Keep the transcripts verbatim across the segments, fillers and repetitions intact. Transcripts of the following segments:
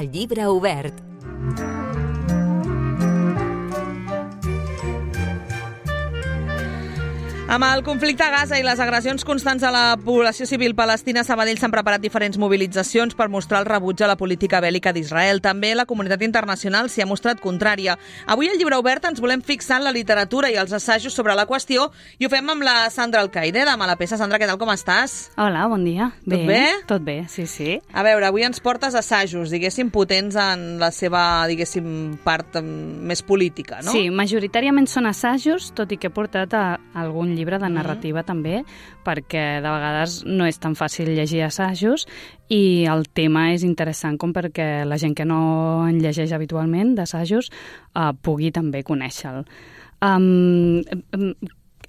El llibre obert. Amb el conflicte a Gaza i les agressions constants a la població civil palestina, a Sabadell s'han preparat diferents mobilitzacions per mostrar el rebuig a la política bèl·lica d'Israel. També la comunitat internacional s'hi ha mostrat contrària. Avui al llibre obert ens volem fixar en la literatura i els assajos sobre la qüestió i ho fem amb la Sandra Alcaide, de Malapesa. Sandra, què tal, com estàs? Hola, bon dia. Bé, tot bé? Tot bé, sí, sí. A veure, avui ens portes assajos, diguéssim, potents en la seva, diguéssim, part més política, no? Sí, majoritàriament són assajos, tot i que he portat a algun llibre de narrativa mm. també, perquè de vegades no és tan fàcil llegir assajos i el tema és interessant com perquè la gent que no en llegeix habitualment d'assajos eh, pugui també conèixer-lo. Um,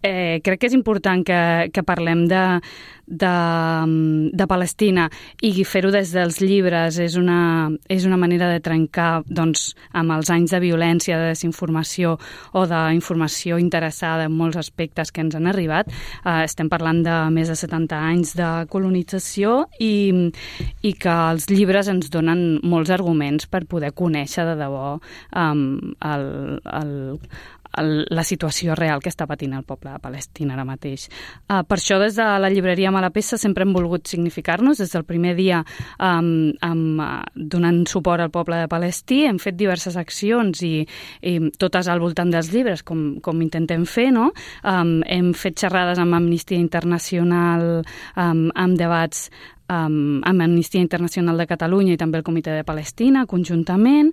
eh, crec que és important que, que parlem de, de, de Palestina i fer-ho des dels llibres és una, és una manera de trencar doncs, amb els anys de violència, de desinformació o d'informació interessada en molts aspectes que ens han arribat. Eh, estem parlant de més de setanta anys de colonització i, i que els llibres ens donen molts arguments per poder conèixer de debò um, el, el, la situació real que està patint el poble de Palestina ara mateix. Uh, per això, des de la llibreria Malapesa sempre hem volgut significar-nos. Des del primer dia um, um, donant suport al poble de Palestí, hem fet diverses accions i, i totes al voltant dels llibres, com, com intentem fer, no? Um, hem fet xerrades amb Amnistia Internacional, um, amb debats Um, amb Amnistia Internacional de Catalunya i també el Comitè de Palestina, conjuntament.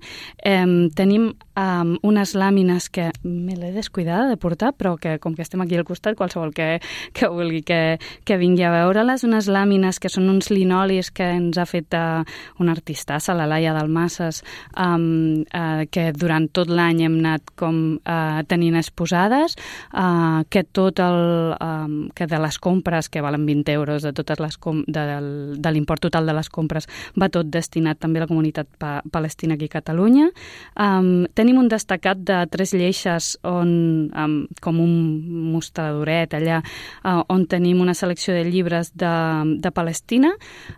Um, tenim um, unes làmines que me l'he descuidada de portar, però que com que estem aquí al costat, qualsevol que, que vulgui que, que vingui a veure-les, unes làmines que són uns linolis que ens ha fet uh, una artistassa, la Laia Dalmases, um, uh, que durant tot l'any hem anat com uh, tenint exposades, uh, que tot el um, que de les compres, que valen vint euros, de totes les com de, del de l'import total de les compres va tot destinat també a la comunitat pa palestina aquí a Catalunya. Um, tenim un destacat de tres lleixes on, um, com un mostradoret allà, uh, on tenim una selecció de llibres de, de Palestina.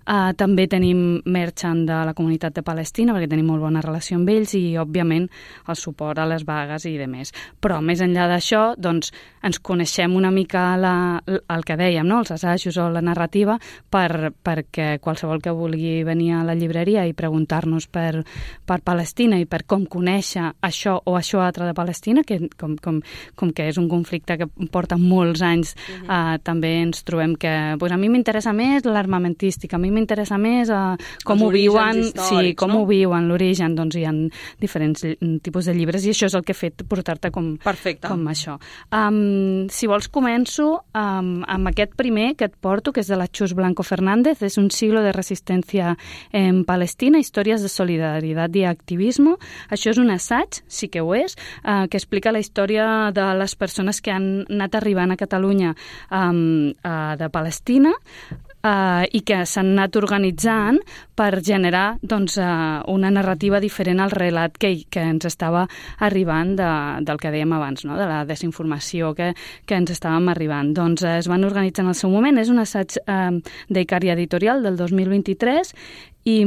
Uh, també tenim merchant de la comunitat de Palestina perquè tenim molt bona relació amb ells i, òbviament, el suport a les vagues i demés. Però, més enllà d'això, doncs, ens coneixem una mica la, el que dèiem, no? Els assajos o la narrativa per, per perquè qualsevol que vulgui venir a la llibreria i preguntar-nos per, per Palestina i per com conèixer això o això altre de Palestina, que com, com, com que és un conflicte que porta molts anys, uh-huh. eh, també ens trobem que pues, a mi m'interessa més l'armamentística, a mi m'interessa més eh, com Els ho viuen, sí, com no? ho viuen, l'origen, doncs hi ha diferents tipus de llibres i això és el que he fet, portar-te com, com això. Um, si vols començo um, amb aquest primer que et porto, que és de la Chus Blanco Fernández, es un siglo de resistencia en Palestina, històries de solidaritat i activisme. Això és un assaig, sí que ho és, eh, que explica la història de les persones que han anat arribant a Catalunya um, uh, de Palestina, Uh, i que s'han anat organitzant per generar doncs, uh, una narrativa diferent al relat que, que ens estava arribant de, del que dèiem abans, no? De la desinformació que, que ens estàvem arribant. Doncs uh, es van organitzar en el seu moment. És un assaig uh, d'Icària Editorial del dos mil vint-i-tres i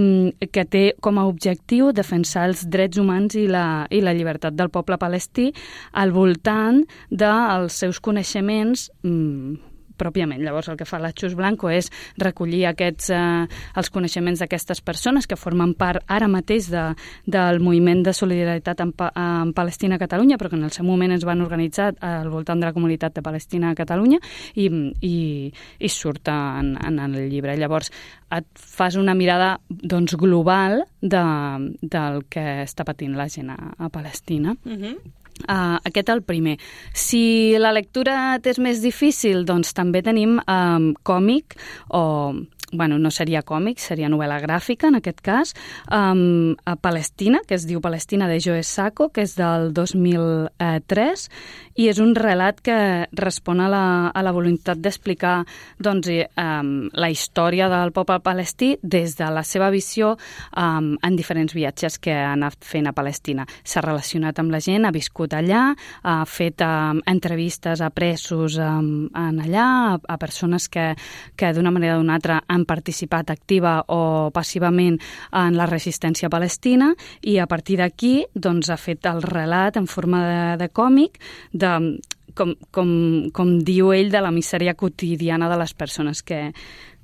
que té com a objectiu defensar els drets humans i la, i la llibertat del poble palestí al voltant dels seus coneixements um, pròpiament. Llavors, el que fa la Chus Blanco és recollir aquests, eh, els coneixements d'aquestes persones que formen part ara mateix de, del moviment de solidaritat en, pa, en Palestina a Catalunya, però que en el seu moment es van organitzar al voltant de la comunitat de Palestina a Catalunya i, i, i surt en, en el llibre. Llavors, et fas una mirada doncs, global de, del que està patint la gent a, a Palestina. Uh-huh. Uh, aquest el primer. Si la lectura t'és més difícil, doncs també tenim um, còmic o bueno, no seria còmic, seria novel·la gràfica, en aquest cas, um, a Palestina, que es diu Palestina de Joe Sacco, que és del dos mil tres, i és un relat que respon a la, a la voluntat d'explicar doncs, um, la història del poble palestí des de la seva visió um, en diferents viatges que ha anat fent a Palestina. S'ha relacionat amb la gent, ha viscut allà, ha fet um, entrevistes a presos um, en allà, a, a persones que, que d'una manera o d'una altra han han participat activa o passivament en la resistència palestina, i a partir d'aquí doncs, ha fet el relat en forma de, de còmic de, com, com, com diu ell, de la misèria quotidiana de les persones que,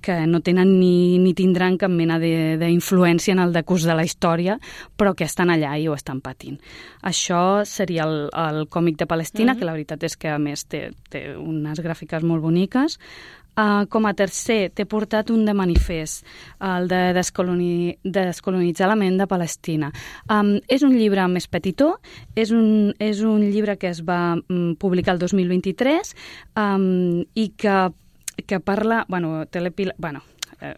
que no tenen ni, ni tindran cap mena d'influència en el decurs de la història, però que estan allà i ho estan patint. Això seria el, el còmic de Palestina, mm-hmm. que la veritat és que a més té, té unes gràfiques molt boniques. Uh, com a tercer, t'he portat un de manifest, el de descoloni... descolonitzar la ment de Palestina. Um, és un llibre més petitó, és un, és un llibre que es va um, publicar el dos mil vint-i-tres um, i que, que parla... Bueno, telepila... Bueno, eh,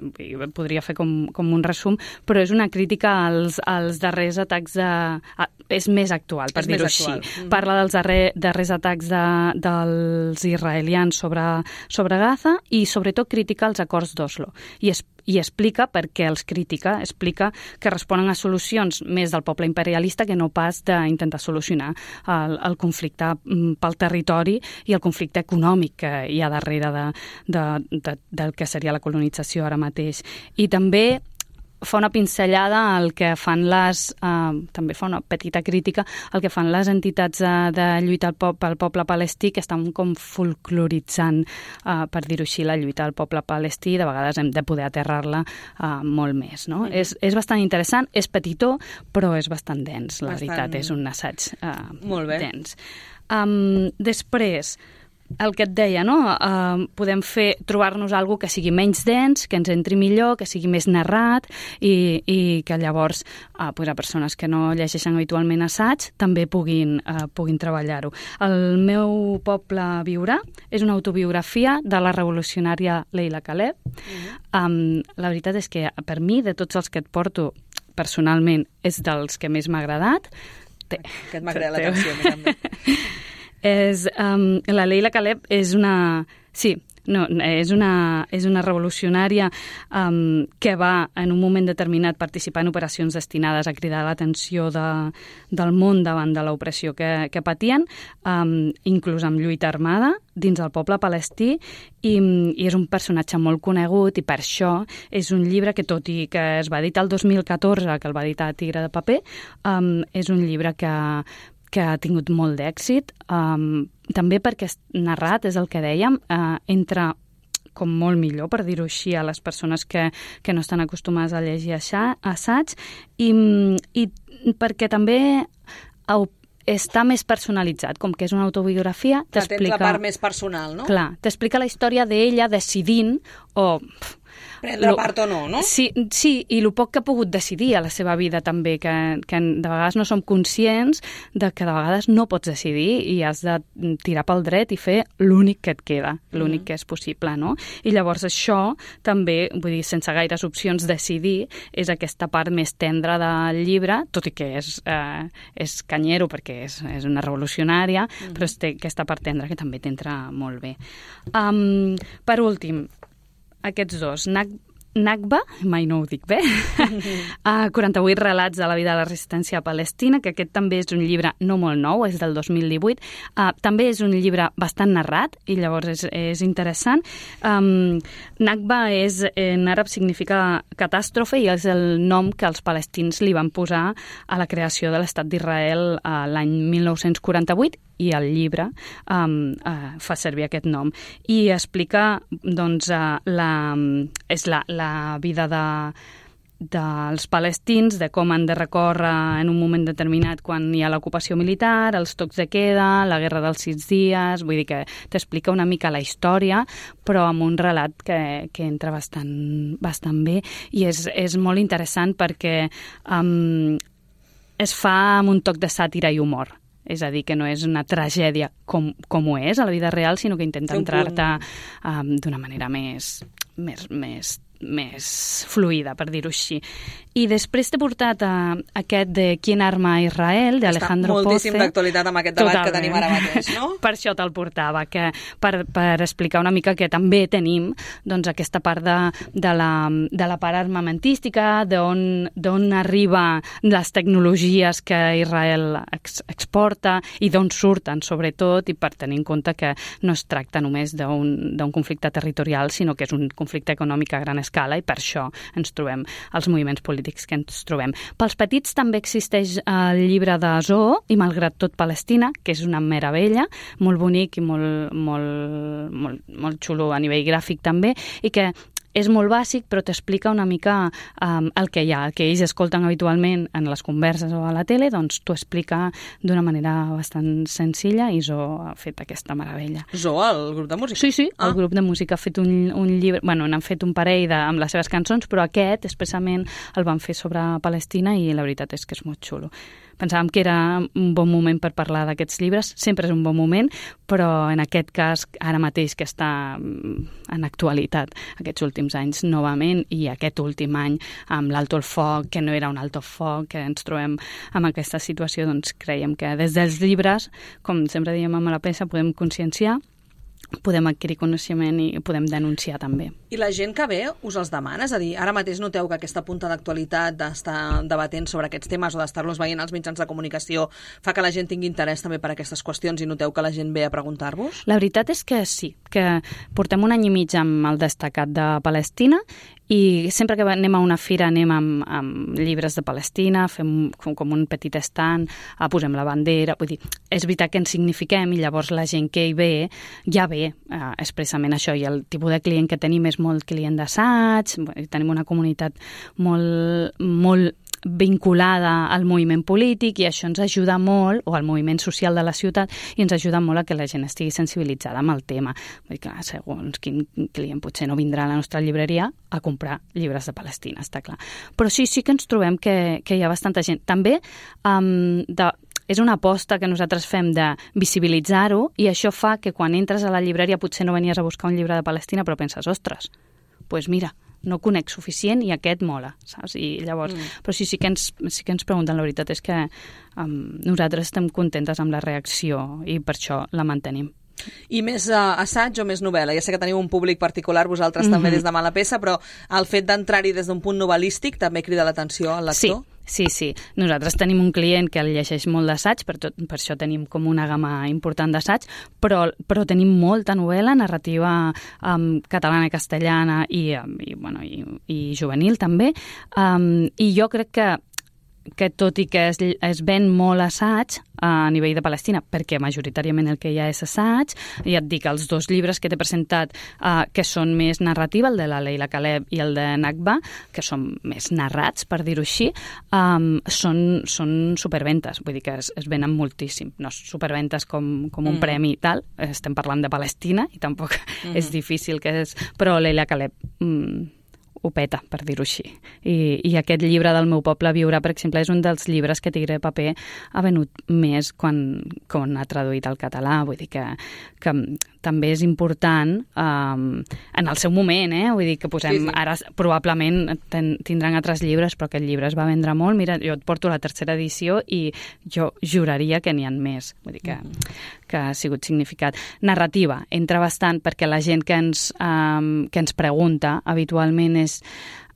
podria fer com, com un resum, però és una crítica als, als darrers atacs de... A, és més actual, per dir-ho així. Mm. Parla dels darrer, darrers atacs de, dels israelians sobre, sobre Gaza i sobretot critica els acords d'Oslo. I, es, I explica per què els critica, explica que responen a solucions més del poble imperialista que no pas d'intentar solucionar el, el conflicte pel territori i el conflicte econòmic que hi ha darrere de, de, de, del que seria la colonització ara mateix. I també fa una pinzellada al que fan les... Eh, també fa una petita crítica al que fan les entitats de, de lluita al po pel poble palestí, que estan com folcloritzant, eh, per dir-ho així, la lluita al poble palestí. De vegades hem de poder aterrar-la eh, molt més, no? Mm. És, és bastant interessant, és petitó, però és bastant dens, la bastant... veritat. És un assaig eh, molt bé. Dens. Um, després... El que et deia, no? Uh, podem fer trobar-nos alguna que sigui menys dens, que ens entri millor, que sigui més narrat i, i que llavors uh, pues a persones que no llegeixen habitualment assaig també puguin, uh, puguin treballar-ho. El meu poble viurà és una autobiografia de la revolucionària Leila Khaled. Mm-hmm. Um, la veritat és que per mi, de tots els que et porto, personalment, és dels que més m'ha agradat. Té. Aquest m'ha cridat l'atenció, a mi també. És, um, la Leila Khaled és una... Sí, no, és una, és una revolucionària um, que va, en un moment determinat, participar en operacions destinades a cridar l'atenció de, del món davant de l'opressió que, que patien, um, inclús amb lluita armada, dins del poble palestí, i, i és un personatge molt conegut, i per això és un llibre que, tot i que es va editar el dos mil catorze, que el va editar Tigre de Paper, um, és un llibre que... que ha tingut molt d'èxit, um, també perquè narrat, és el que dèiem, uh, entra com molt millor, per dir-ho així, a les persones que, que no estan acostumades a llegir assaig, i, i perquè també està més personalitzat, com que és una autobiografia. Tens la part més personal, no? Clar, t'explica la història d'ella decidint, o... prendre lo, part o no, no? Sí, sí, i el poc que ha pogut decidir a la seva vida també, que, que de vegades no som conscients de que de vegades no pots decidir i has de tirar pel dret i fer l'únic que et queda, l'únic mm. que és possible, no? I llavors això també, vull dir, sense gaires opcions, decidir és aquesta part més tendra del llibre, tot i que és, eh, és canyero perquè és, és una revolucionària, mm. però té aquesta part tendra que també t'entra molt bé. Um, per últim, aquests dos, Nakba, mai no ho dic bé, uh, quaranta-vuit relats de la vida de la resistència palestina, que aquest també és un llibre no molt nou, és del dos mil divuit. Uh, també és un llibre bastant narrat i llavors és, és interessant. Um, Nakba és, en àrab significa catàstrofe i és el nom que els palestins li van posar a la creació de l'Estat d'Israel uh, l'any mil nou-cents quaranta-vuit, i el llibre um, uh, fa servir aquest nom. I explica, doncs, uh, la, és la, la vida de, dels palestins, de com han de recórrer en un moment determinat quan hi ha l'ocupació militar, els tocs de queda, la guerra dels sis dies, vull dir que t'explica una mica la història, però amb un relat que, que entra bastant, bastant bé, i és, és molt interessant perquè um, es fa amb un toc de sàtira i humor. És a dir, que no és una tragèdia com, com ho és a la vida real, sinó que intenta entrar-te um, d'una manera més, més, més, més fluida, per dir-ho així. I després t'he portat a, aquest de Quien arma a Israel, d'Alejandro Poce. Està moltíssim d'actualitat amb aquest debat Totalment. Que tenim ara mateix, no? Per això te'l portava, que per, per explicar una mica que també tenim doncs, aquesta part de, de, la, de la part armamentística, d'on arriba les tecnologies que Israel ex, exporta i d'on surten, sobretot, i per tenir en compte que no es tracta només d'un conflicte territorial, sinó que és un conflicte econòmic a gran escala, i per això ens trobem els moviments polítics que ens trobem. Pels petits també existeix el llibre de Zoo i Malgrat tot Palestina, que és una meravella, molt bonic i molt, molt, molt, molt xulo a nivell gràfic també, i que és molt bàsic, però t'explica una mica um, el que hi ha, el que ells escolten habitualment en les converses o a la tele, doncs t'ho explica d'una manera bastant senzilla, i Zo ha fet aquesta meravella. Zo, el grup de música? Sí, sí, ah. el grup de música ha fet un, un llibre, bueno, n'han fet un parell de, amb les seves cançons, però aquest expressament el van fer sobre Palestina i la veritat és que és molt xulo. Pensàvem que era un bon moment per parlar d'aquests llibres, sempre és un bon moment, però en aquest cas, ara mateix que està en actualitat, aquests últims anys novament, i aquest últim any amb l'Alto el Foc, que no era un alto foc, que ens trobem en aquesta situació, doncs creiem que des dels llibres, com sempre diem amb la peça, podem conscienciar, podem adquirir coneixement i podem denunciar també. I la gent que ve us els demana? És a dir, ara mateix noteu que aquesta punta d'actualitat d'estar debatent sobre aquests temes o d'estar-los veient als mitjans de comunicació fa que la gent tingui interès també per aquestes qüestions i noteu que la gent ve a preguntar-vos? La veritat és que sí, que portem un any i mig amb el destacat de Palestina i sempre que anem a una fira anem amb, amb llibres de Palestina, fem com, com un petit estand, posem la bandera, vull dir, és veritat que ens signifiquem i llavors la gent que hi ve ja ve eh, expressament això, i el tipus de client que tenim és molt client d'assaig, tenim una comunitat molt, molt vinculada al moviment polític i això ens ajuda molt, o al moviment social de la ciutat, i ens ajuda molt a que la gent estigui sensibilitzada amb el tema. Vull dir que segons quin client potser no vindrà a la nostra llibreria a comprar llibres de Palestina, està clar. Però sí, sí que ens trobem que, que hi ha bastanta gent. També um, de, és una aposta que nosaltres fem de visibilitzar-ho, i això fa que quan entres a la llibreria potser no venies a buscar un llibre de Palestina, però penses, ostres, doncs pues mira, no conec suficient i aquest mola, saps? I llavors, mm. però sí, sí que ens, sí que ens pregunten, la veritat és que um, nosaltres estem contentes amb la reacció i per això la mantenim. I més uh, assaig o més novel·la? Ja sé que teniu un públic particular, vosaltres mm-hmm. també des de Mala Peça, però el fet d'entrar-hi des d'un punt novel·lístic també crida l'atenció al lector? Sí. Sí, sí. Nosaltres tenim un client que el llegeix molt d'assaig, per, tot, per això tenim com una gamma important d'assaig, però, però tenim molta novel·la, narrativa um, catalana i castellana i, i, bueno, i, i juvenil també, um, i jo crec que que tot i que es, es ven molt assaig a nivell de Palestina, perquè majoritàriament el que hi ha és assaig, ja et dic, els dos llibres que t'he presentat uh, que són més narrativa, el de la Leila Caleb i el de Nakba, que són més narrats, per dir-ho així, um, són, són superventes, vull dir que es, es venen moltíssim, no superventes com, com un mm. premi i tal, estem parlant de Palestina i tampoc mm. és difícil que és, però Leila Caleb mm, ho peta, per dir-ho així. I, I aquest llibre del meu poble viurà, per exemple, és un dels llibres que Tigre de Paper ha venut més quan, quan ha traduït al català. Vull dir que, que també és important um, en el seu moment, eh? Vull dir que posem, sí, sí. Ara probablement ten, tindran altres llibres, però aquest llibre es va vendre molt. Mira, jo et porto la tercera edició i jo juraria que n'hi ha més. Vull dir que, mm. que ha sigut significat. Narrativa, entra bastant perquè la gent que ens, um, que ens pregunta habitualment és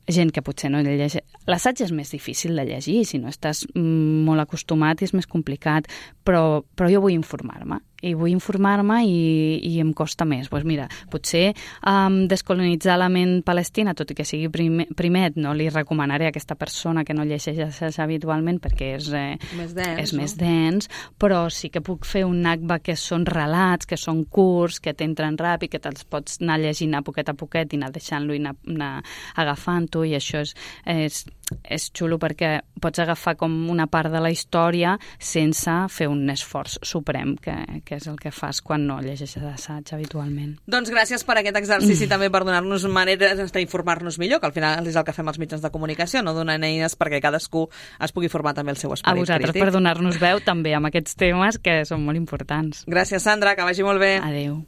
gent que potser no llegeix. L'assaig és més difícil de llegir, si no estàs molt acostumat és més complicat, però, però jo vull informar-me. I vull informar-me i, i em costa més. Pues mira, potser um, descolonitzar la ment palestina, tot i que sigui primer, primet, no li recomanaré a aquesta persona que no llegeix habitualment perquè és, eh, més dens, és no? més dens, però sí que puc fer un Nakba que són relats, que són curts, que t'entren ràpid, que te'ls pots anar llegint a poquet a poquet i anar deixant-lo i anar, anar agafant-ho, i això és, és, és xulo perquè pots agafar com una part de la història sense fer un esforç suprem, que, que és el que fas quan no llegeixes assaig habitualment. Doncs gràcies per aquest exercici mm. també per donar-nos maneres d'informar-nos millor, que al final és el que fem els mitjans de comunicació, no donar eines perquè cadascú es pugui formar també el seu esperit crític. A vosaltres crític. Per donar-nos veu també amb aquests temes que són molt importants. Gràcies, Sandra, que vagi molt bé. Adéu.